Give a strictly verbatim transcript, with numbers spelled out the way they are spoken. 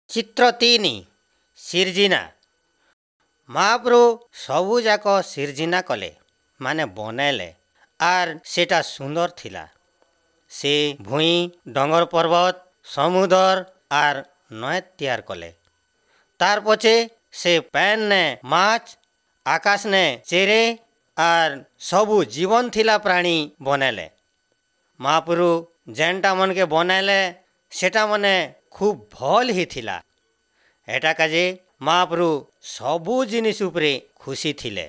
ଚିତ୍ର ତିନି ସିର୍ଜିନା ମହାପ୍ରଭୁ ସବୁଯାକ ସିର୍ଜିନା କଲେ ମାନେ ବନେଇଲେ ଆର୍ ସେଟା ସୁନ୍ଦର ଥିଲା ସେ ଭୂଇଁ ଡଙ୍ଗର ପର୍ବତ ସମୁଦର ଆର୍ ନଏ ତିଆର କଲେ ତାର୍ ପଛେ ସେ ପାଏନ୍ନେ ମାଛ ଆକାଶନେ ଚେରେ ଆର୍ ସବୁ ଜୀବନ ଥିଲା ପ୍ରାଣୀ ବନେଇଲେ ମହାପ୍ରଭୁ ଯେନ୍ଟା ମନକେ ବନେଇଲେ ସେଟା ମାନେ ଖୁବ୍ ଭଲ୍ ହେଇଥିଲା ଏଟା କାଜେ ମହାପ୍ରଭୁ ସବୁ ଜିନିଷ ଉପରେ ଖୁସି ଥିଲେ।